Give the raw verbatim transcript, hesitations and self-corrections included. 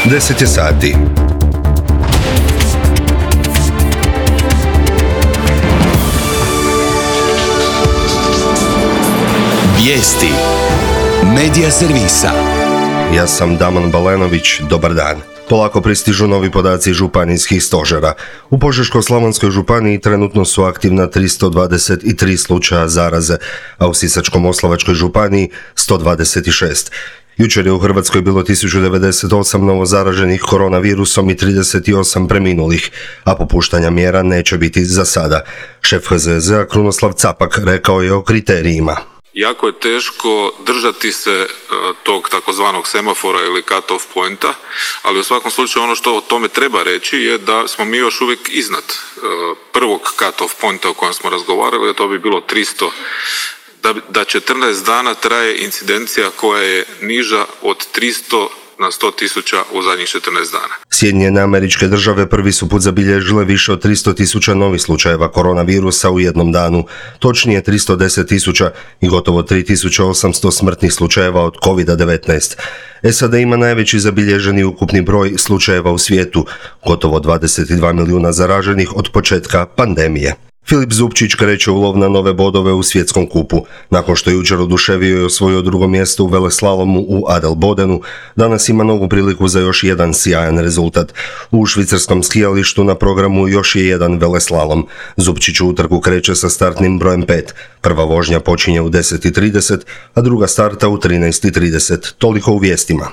deset je sati. Vijesti Medija servisa. Ja sam Damon Balenović, dobar dan. Polako pristižu novi podaci županijskih stožera. U Požeško-slavonskoj županiji trenutno su aktivna tristo dvadeset tri slučaja zaraze, a u Sisačko-moslavačkoj županiji sto dvadeset šest. Jučer je u Hrvatskoj bilo tisuću devedeset osam novozaraženih koronavirusom i trideset osam preminulih, a popuštanja mjera neće biti za sada. Šef H Z Z-a Krunoslav Capak rekao je o kriterijima. Jako je teško držati se tog takozvanog semafora ili cut-off pointa, ali u svakom slučaju ono što o tome treba reći je da smo mi još uvijek iznad prvog cut-off pointa o kojem smo razgovarali, a to bi bilo tristo, da, da četrnaest dana traje incidencija koja je niža od tristo na sto tisuća u zadnjih četrnaest dana. Sjedinjene Američke Države prvi su put zabilježile više od tristo tisuća novih slučajeva koronavirusa u jednom danu, točnije tristo deset tisuća i gotovo tri tisuće osamsto smrtnih slučajeva od kovid devetnaest. S A D ima najveći zabilježeni ukupni broj slučajeva u svijetu, gotovo dvadeset dva milijuna zaraženih od početka pandemije. Filip Zupčić kreće u lov na nove bodove u svjetskom kupu. Nakon što je jučer oduševio i osvojio drugo mjesto u veleslalomu u Adelbodenu, danas ima novu priliku za još jedan sjajan rezultat. U švicarskom skijalištu na programu još je jedan veleslalom. Zupčić u utrku kreće sa startnim brojem pet. Prva vožnja počinje u deset i trideset, a druga starta u trinaest i trideset. Toliko u vijestima.